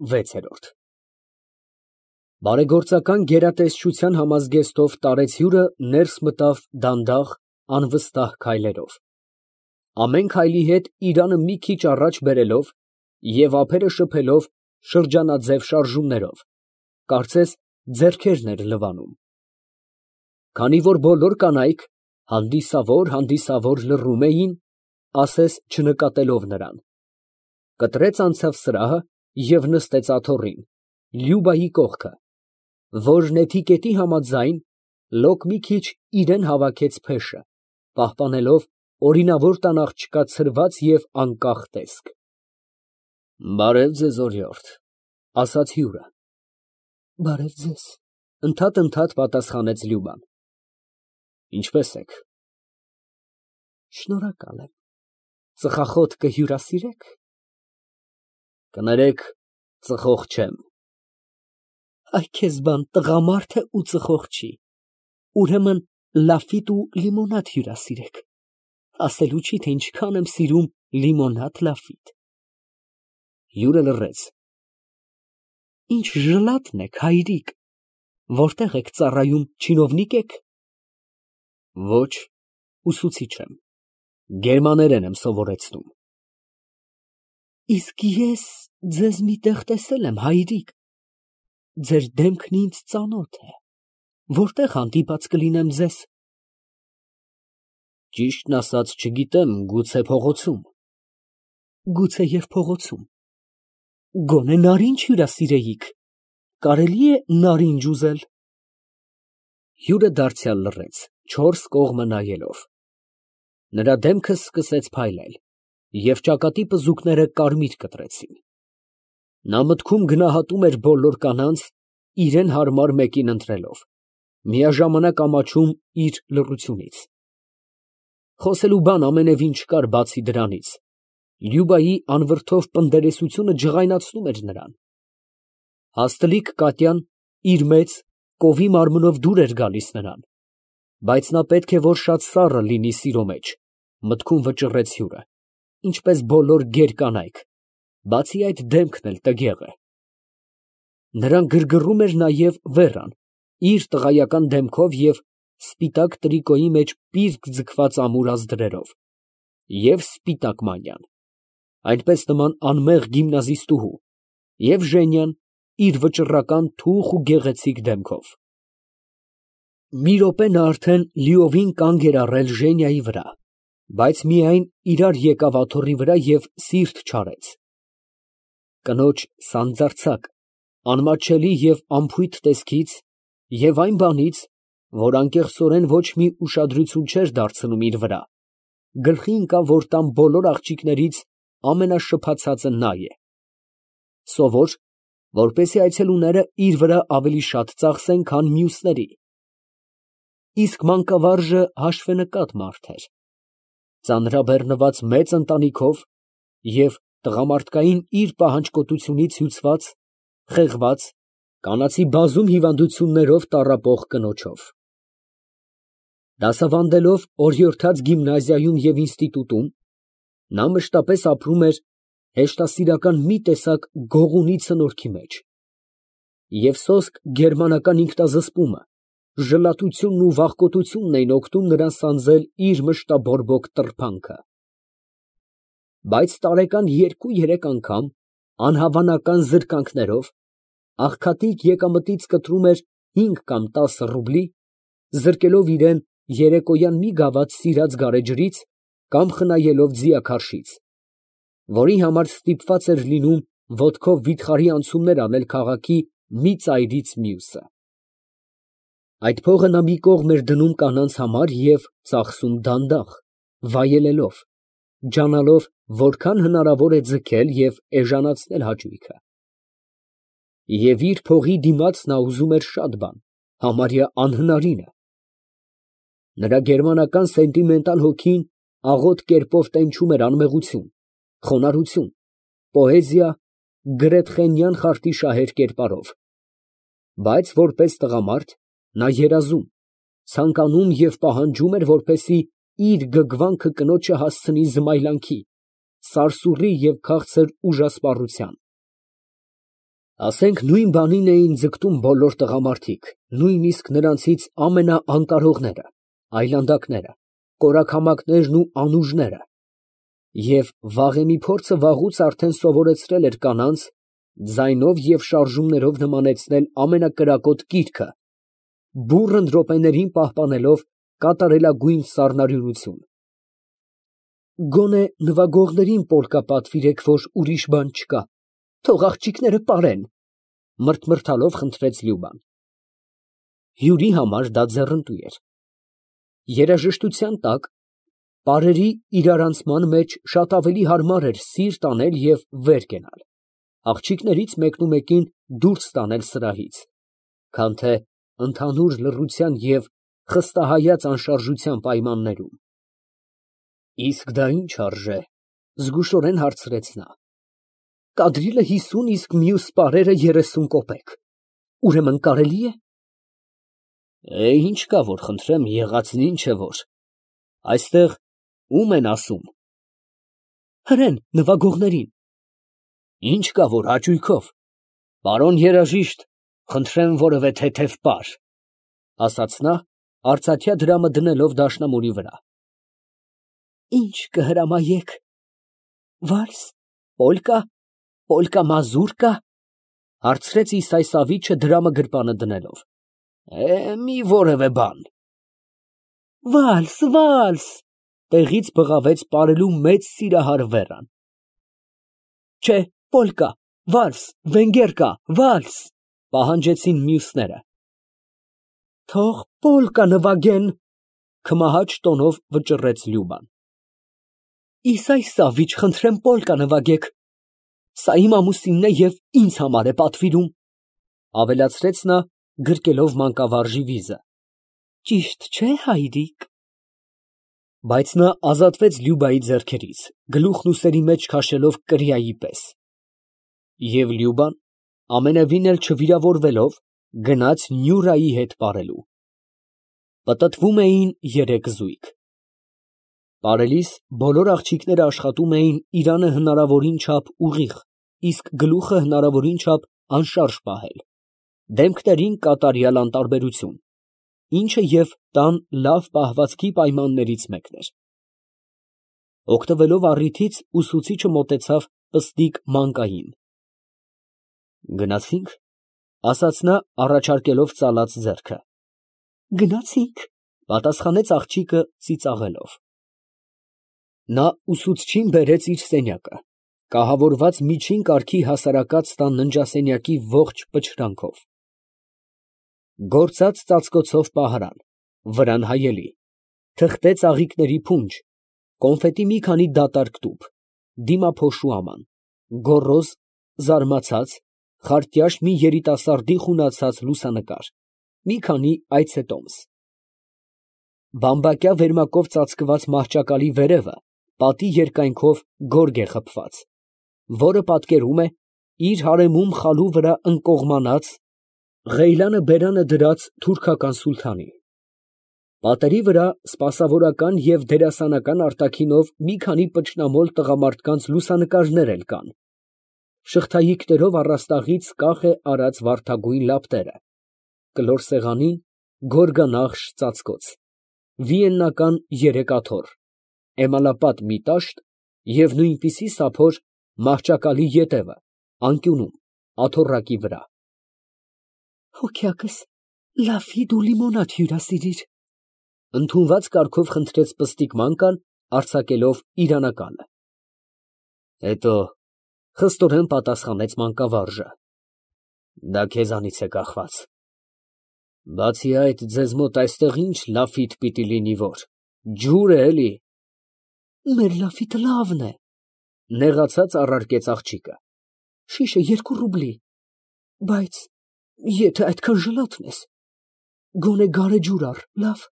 6։ Բարեգործական գերատեսչության համազգեստով տարեց հյուրը ներս մտավ դանդաղ, անվստահ քայլերով, ամեն քայլի հետ իրանը մի քիչ առաջ բերելով և ափերը շփելով շրջանաձև շարժումներով, կարծես ձեռքերն էր լվանում։ Քանի որ բոլոր կանայք հանդիսավոր լռում էին, ասես չնկատելով նրան, կտրեց անցավ սրահը և նստեց աթոռին, Լյուբայի կողքը, որ նեթիկետի համաձայն լոկ մի քիչ իրան հավաքեց փեշը, պահպանելով օրինավոր տան աղջկա ցրված և անկախ տեսք։ «Բարև ձեզ, օրիորդ», ֊ ասաց հյուրը։ «Բարև ձեզ», ֊ ընդհատ պատասխանեց Լյուբան։ «Ինչպե՞ս եք»։ «Շնորհակալ եմ, ծխախոտ կհյուրասիրե՞ք»։ «Կներեք, ծխող չեմ»։ «Այ քեզ բան, տղամարդ է ու ծխող չի, ուրեմն լաֆիտ ու լիմոնադ հյուրասիրեք, ասելու չի, թե ինչքան եմ սիրում լիմոնադ լաֆիտ»։ Հյուրը լռեց։ «Ինչ ժլատն եք, հայրիկ, որտե՞ղ եք ծառայում, չինովնիկ եք»։ «Ոչ, ուսուցիչ եմ, գերմաներեն եմ սովորեցնում»։ «Իսկ ես ձեզ մի տեղ տեսել եմ, հայրիկ, ձեր դեմքն ինձ ծանոթ է, որտե՞ղ հանդիպած կլինեմ ձեզ»։ «Ճիշտն ասած, չգիտեմ, գուցե փողոցում»։ «Գուցեև փողոցում, գոնե նարինջ հյուրասիրեիք, կարելի է նարինջ ուզել»։ Հյուրը դարձյալ լռեց, չորս կողմը նայելով։ Նրա դեմքը սկսեց փայլել, և ճակատի պզուկները կարմիր կտրեցին։ Նա մտքում գնահատում էր բոլոր կանանց, իրան հարմար մեկին ընտրելով, միաժամանակ ամաչում իր լռությունից։ Խոսելու բան ամենևին չկար բացի դրանից, Լյուբայի անվրդով պնդերեսությունը ջղայնացնում էր նրան։ Հաստլիկ Կատյան իր մեծ, կովի մարմնով դուր էր գալիս նրան, բայց նա պետք է որ շատ սառը լինի սիրո մեջ, մտքում վճռեց հյուրը, ինչպես բոլոր գեր կանայք, բացի այդ դեմքն էլ տգեղ է։ Նրան գրգռում էր նաև Վերան, իր տղայական դեմքով և սպիտակ տրիկոյի մեջ պիրկ ձգված ամուր ազդրերով, և սպիտակ մանյան, այնպես նման անմեղ գիմնազիստուհու, և Ժենյան իր վճռական թուխ ու գեղեցիկ դեմքով։ Մի րոպե նա արդեն լիովին կանգ էր առել Ժենիայի վրա, բայց միայն իրար եկավ աթոռի վրա և սիրտ չարեց։ Կնոջ սանձարձակ, անմատչելի և անփույթ տեսքից և այն բանից, որ անկեղծորեն ոչ մի ուշադրություն չէր դարձնում իր վրա, գլխի ընկավ, որ տան բոլոր աղջիկներից ամենաշփացածը նա է, սովոր, որպեսզի այցելուները իր վրա ավելի շատ ծախսեն, քան մյուսների։ Իսկ մանկավարժը հաշվենկատ մարդ էր, ծանրաբեռնված մեծ ընտանիքով և տղամարդկային իր պահանջկոտությունից հյուծված, խեղված, կանացի բազում հիվանդություններով տառապող կնոջով։ Դասավանդելով օրիորդաց գիմնազիայում և ինստիտուտում, նա մշտապես ապրում էր հեշտասիրական մի տեսակ գողունի ցնորքի մեջ, և սոսկ գերմանական ինքնազսպումը, ժլատությունն ու վախկոտությունն էին օգնում նրան սանձել իր մշտաբորբոք տրփանքը։ Բայց տարեկան 2-3 անգամ, անհավանական զրկանքներով, աղքատիկ եկամտից կտրում էր 5 կամ 10 ռուբլի, զրկելով իրան երեկոյան մի գավաթ սիրած գարեջրից կամ խնայելով ձիաքարշից, որի համար ստիպված էր լինում ոտքով վիթխարի անցումներ անել քաղաքի մի ծայրից մյուսը։ Այդ փողը նա մի կողմ էր դնում կանանց համար և ծախսում դանդաղ, վայելելով, ջանալով որքան հնարավոր է ձգել և էժանացնել հաճույքը։ Եվ իր փողի դիմաց նա ուզում էր շատ բան, համարյա անհնարինը։ Նրա գերմանական սենտիմենտալ հոգին աղոտ կերպով տենչում էր անմեղություն, խոնարհություն, պոեզիա, գրեթխենյան խարտի շահեր կերպարով, բայց որպես տղամարդ նա երազում, ցանկանում և պահանջում էր, որպեսզի իր գգվանքը կնոջը հասցնի զմայլանքի, սարսուռի և քաղցր ուժասպառության։ Ասենք նույն բանին էին ձգտում բոլոր տղամարդիկ, նույնիսկ նրանցից ամենաանկարողները, այլանդակները, կորակամակներն ու անուժները, և վաղեմի փորձը վաղուց արդեն սովորեցրել էր կանանց ձայնով և շարժումներով նմանեցնել ամենակրակոտ կիրքը, բուռն րոպեներին պահպանելով կատարելագույն սառնարյունություն։ Գոնե նվագողներին պոլկա պատվիրեք, որ ուրիշ բան չկա, թող աղջիկները պարեն, մրթմրթալով խնդրեց Լյուբան։ Հյուրի համար դա ձեռնտու էր։ Երաժշտության տակ պարերի իրարանցման մեջ շատ ավելի հարմար էր սիրտ անել և վեր կենալ, աղջիկներից մեկնումեկին դուրս տանել սրահից, քան թե ընդհանուր լռության և խստահայաց անշարժության պայմաններում։ Իսկ դա ի՞նչ արժե, զգուշորեն հարցրեց նա։ Կադրիլը 50, իսկ մյուս պարերը 30 կոպեկ, ուրեմն կարելի է։ Ինչ կա, որ խնդրեմ, եղածն ինչ է որ, այստեղ ո՞ւմ են ասում։ Հրեն նվագողներին։ Ինչ կա, որ հաճույքով, պարոն երաժիշտ, խնդրեմ որևէ թեթև պար, ասաց նա, արծաթյա դրամը դնելով դաշնամուրի վրա։ Ինչ կհրամայեք, վալս, պոլկա, պոլկա մազուրկա, հարցրեց Իսայսավիչը դրամը գրպանը դնելով։ Մի որևէ բան։ Վալս, վալս, տեղից բղավեց պարելու մեծ սիրահար Վերան։ Չէ, պոլկա, վալս, վենգերկա, վալս, պահանջեցին մյուսները։ Թող պոլկա նվագեն, քմահաճ տոնով վճռեց Լյուբան։ Իսայսավիչ, խնդրեմ պոլկա նվագեք, սա իմ ամուսինն է և ինձ համար է պատվիրում, ավելացրեց նա, գրկելով մանկավարժի վիզը։ Ճիշտ չէ, հայրիկ։ Բայց նա ազատվեց Լյուբայի ձեռքերից, գլուխն ուսերի մեջ քաշելով կրիայի պես։ Եվ Լյուբան, ամենևին էլ չվիրավորվելով, գնաց Նյուրայի հետ պարելու։ Պտտվում էին երեք զույգ։ Պարելիս բոլոր աղջիկները աշխատում էին իրանը հնարավորին չափ ուղիղ, իսկ գլուխը հնարավորին չափ անշարժ պահել, դեմքներին կատարյալ անտարբերություն, ինչը և տան լավ պահվածքի պայմաններից մեկն էր։ Օգտվելով առիթից ուսուցիչը մոտեցավ պստիկ մանկային։ Գնացի՞նք, ասաց նա, առաջարկելով ծալած ձեռքը։ Գնացինք, պատասխանեց աղջիկը ծիծաղելով։ Նա ուսուցչին բերեց իր սենյակը, կահավորված միջին կարգի հասարակած տան ննջասենյակի ողջ պչրանքով։ Գործած ծածկոցով պահարան, վրան հայելի, թղթե ծաղիկների փունջ, կոնֆետի մի քանի դատարկ տուփ, դիմափոշու աման, գոռոզ, զարմացած, խարտյաշ մի երիտասարդի խունացած լուսանկար, մի քանի այցետոմս։ Բամբակյա վերմակով ծածկված մահճակալի վերևը պատի երկայնքով գորգ է խփված, որը պատկերում է իր հարեմում խալու վրա ընկողմանած, ղեյլանը բերանը դրած թուրքական սուլթանի։ Պատերի վրա սպասավորական և դերասանական արտաքինով մի քանի պճնամոլ տղամարդկանց լուսանկարներ էլ կան, շղթայիկներով առաստաղից կախ է արած վարդագույն լապտերը, կլոր սեղանին գորգանախշ ծածկոց, վիեննական 3 աթոռ, էմալապատ մի տաշտ և նույնպիսի սափոր մահճակալի ետևը, անկյունում, աթոռակի վրա։ Հոգյակս, լավի դու լիմոնադ հյուրասիրիր, ընդունված կարգով խնդրեց պստիկ մանկան, արձակելով իրանականը։ Հետո խստորեն պատասխանեց մանկավարժը։ Դա քեզանից է կախված։ Բացի այդ, ձեզ մոտ այստեղ ինչ լաֆիտ պիտի լինի, որ ջուր է, էլի։ Մեր լաֆիտը լավն է, նեղացած առարկեց աղջիկը։ Շիշը 2 ռուբլի, բայց եթե այդքան ժլատն ես, գոնե գարեջուր առ, լավ։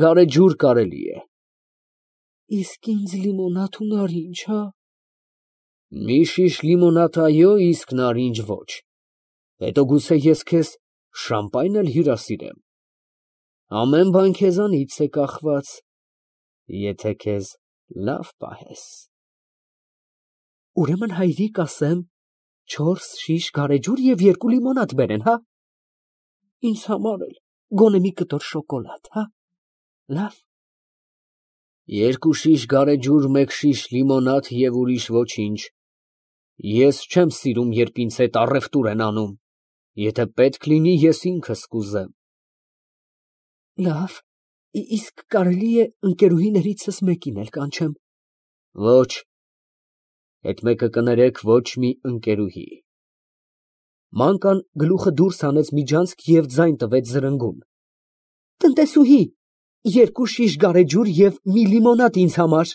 Գարեջուր կարելի է։ Իսկ ինձ լիմոնադ ու նարինջ, հա։ Մի շիշ լիմոնադ այո, իսկ նարինջ ոչ։ Հետո գուցե ես քեզ շամպայն էլ հյուրասիրեմ։ Ամեն բան քեզանից է կախված, եթե քեզ լավ պահես։ Ուրեմն հայրիկ ասեմ, 4 շիշ գարեջուր և 2 լիմոնադ բերեն, հա։ Ինձ համար էլ գոնե մի կտոր շոկոլադ, հա։ Լավ։ 2 շիշ գարեջուր, 1 շիշ լիմոնադ և ուրիշ ոչինչ։ Ես չեմ սիրում, երբ ինձ հետ առևտուր են անում, եթե պետք լինի, ես ինքս կուզեմ։ Լավ, իսկ կարելի է ընկերուհիներիցս մեկին էլ կանչեմ։ Ոչ, այդ մեկը կներեք ոչ մի ընկերուհի։ Մանկան գլուխը դուրս հանեց միջանցք և ձայն տվեց զրնգուն։ Տնտեսուհի, 2 շիշ գարեջուր և մի լիմոնադ ինձ համար։